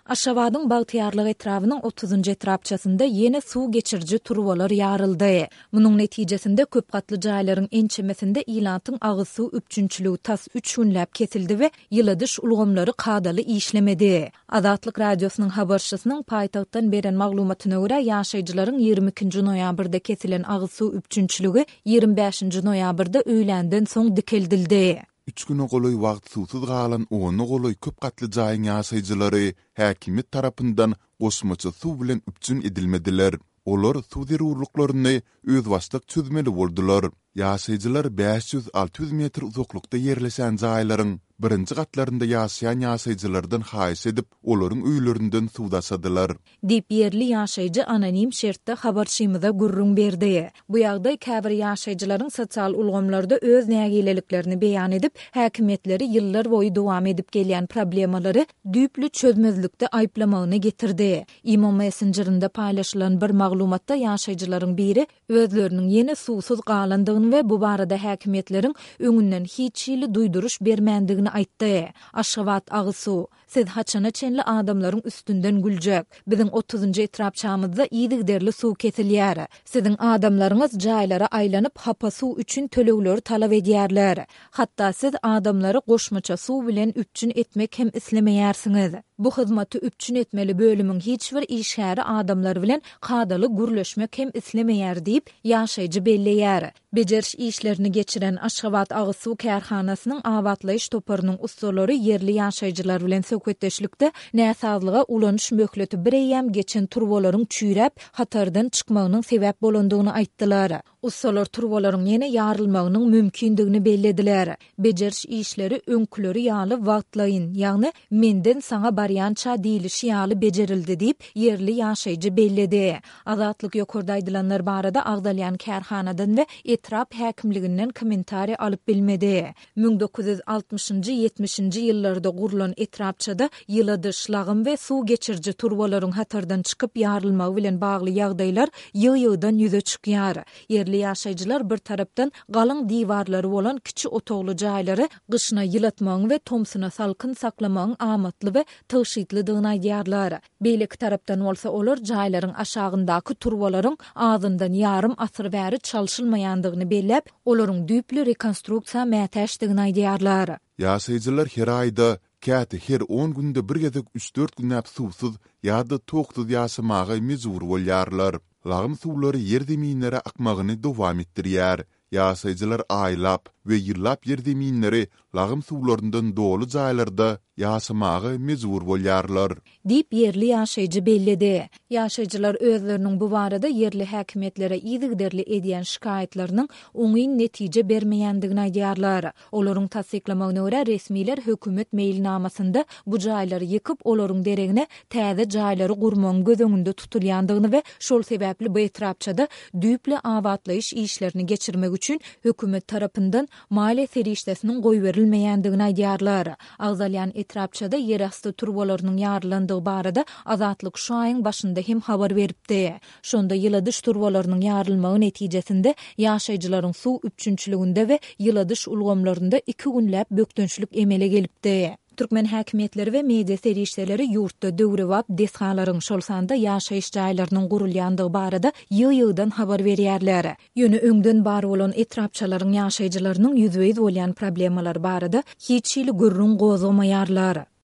Aşgabadyň Bagtyýarlyk etrabynyň otuzynjy etrapçasynda ýene suw geçiriji turbalar ýaryldy. Munuň netijesinde köp gatly jaýlaryň ençemesinde ilatyň agyz suw üpjünçiligi tas üç günläp kesildi we ýyladyş ulgamlary kadaly işlemedi. Azatlyk Radiosynyň habarçysynyň paýtagtdan beren maglumatyna görä, ýaşaýjylaryň 22 nji noýabrda kesilen agyz suw üpjünçiligi 25 nji noýabrda öýländen soň dikeldildi. Üç güne golaý wagt suwsuz galan ona golaý köp gatly jaýyň ýaşaýjylary häkimiýet tarapyndan goşmaça suw bilen üpjün edilmediler. Olar suw zerurlyklaryny özbaşdak çözmeli boldular. Ýaşaýjylar 500-600 metr uzaklykda ýerleşen jaýlaryň birinji gatlarynda ýaşaýan ýaşaýjylardan haýyş edip, olaryň öýlerinden suw daşadylar. Diýip, ýerli ýaşaýjy anonim şertde habarçymyza gürrüň berdi. Bu ýagdaý käbir ýaşaýjylaryň sosial ulgamlarda öz nägileliklerini beýan edip, häkimiýetleri ýyllarboýy dowam edip gelýän problemalary düýpli çözmezlikde aýyplamagyna getirdi. Imo messenjerinde paýlaşylan bir maglumatda ýaşaýjylaryň biri özleriniň ýene suwsuz galandygyny we bu barada häkimiýetleriň öňünden hiç hili duýduryş bermändigini aýtdy. Aşgabat agyz suw. Siz haçana çenli adamlaryň üstünden güljek? Biziň otuzynjy etrapçamyzda yzygiderli suw kesilýär. Siziň adamlaryňyz jaýlara aýlanyp, hapa suw üçin tölegleri talap edýärler. Hatda siz adamlary goşmaça suw bilen üpjün etmek hem islemeýärsiňiz. Bu hyzmaty üpjün etmeli bölümiň hiç bir işgäri adamlar bilen kadaly gürleşmek hem islemeýär diýip, ýaşaýjy belleýär. Bejeriş işlerini geçiren Aşgabat agyz suw kärhanasynyň abatlaýyş toparynyň ussalary ýerli ýaşaýjylar bilen söhbetdeşlikde näsazlyga ulanyş möhleti bireýýäm geçen turbalaryň çüýräp, hatardan çykmagynyň sebäp bolandygyny aýtdylar. Ussalar turbalaryň ýene ýarylmagynyň mümkindigini bellediler. Bejeriş işleri öňküleri ýaly wagtlaýyn, ýagny menden saňa barýança diýlişi ýaly bejerildi diýip, ýerli ýaşaýjy belledi. Azatlyk ýokarda aýdylanlar barada agzalýan kärhanadan we etrap häkimliginden kommentariý alyp bilmedi. 1960-njy, ýetmişinji ýyllarda gurlan etrapçada ýyladyş, lagym we suw geçiriji turbalaryň hatardan çykyp ýarylmagy bilen bagly ýagdaýlar ýygy-ýygydan ýüze çykýar. Ýerli ýaşaýjylar bir tarapdan galyň diwarlary bolan kiçi otagly jaýlary gyşyna ýylatmagyň we tomsuna salkyn saklamagyň amatly we tygşytlydygyny aýdýarlar. Beýleki tarapdan bolsa olar jaýlaryň aşagyndaky turbalaryň azyndan ýarym asyr bäri çalşylmaýandygyny belläp, olaryň düýpli rekonstruksiýa mätäçdigini aýdýarlar. Ýaşaýjylar her aýda, käte her on günde bir gezek üç-dört günläp suwsuz ýa-da toksuz ýaşamaga mejbur bolýarlar. Lagym suwlary ýerzeminlere akmagyny dowam etdirýär. Ýaşaýjylar aýlap we ýyllap ýerzeminleri lagym suwlaryndan doly jaýlarda ýaşamaga mejbur bolýarlar. Diýip, ýerli ýaşaýjy belledi. Ýaşaýjylar özleriniň bu barada ýerli häkimiýetlere yzygiderli edýän şikaýatlarynyň oňyn netije bermeýändigini aýdýarlar. Olaryň tassyklamagyna görä, resmiler hökümet meýilnamasynda bu jaýlary ýykyp, olaryň deregine täze jaýlary gurmagyň göz öňünde tutulýandygyny we şol sebäpli bu etrapçada düýpli abatlaýyş işlerini geçirmek üçin hökümet tarapyndan maliýe serişdesiniň goýberilmeýändigini aýdýarlar. Agzalýan etrapçada ýerasty turbalarynyň ýarylandygy barada Azatlyk şu aýyň başynda hem habar beripdi. Şonda ýyladyş turbalarynyň ýarylmagy netijesinde ýaşaýjylaryň suw üpjünçiliginde we ýyladyş ulgamlarynda iki günläp bökdençlik emele gelipdi. Türkmen häkimiýetleri we media serişdeleri ýurtda döwrebap desgalaryň, şol sanda ýaşaýyş jaýlarynyň gurulýandygy barada ýygy-ýygydan habar berýärler. Ýöne öňden bar bolan etrapçalaryň ýaşaýjylarynyň ýüzbe-ýüz bolýan problemalary barada hiç hili gürrüň gozgamaýarlar.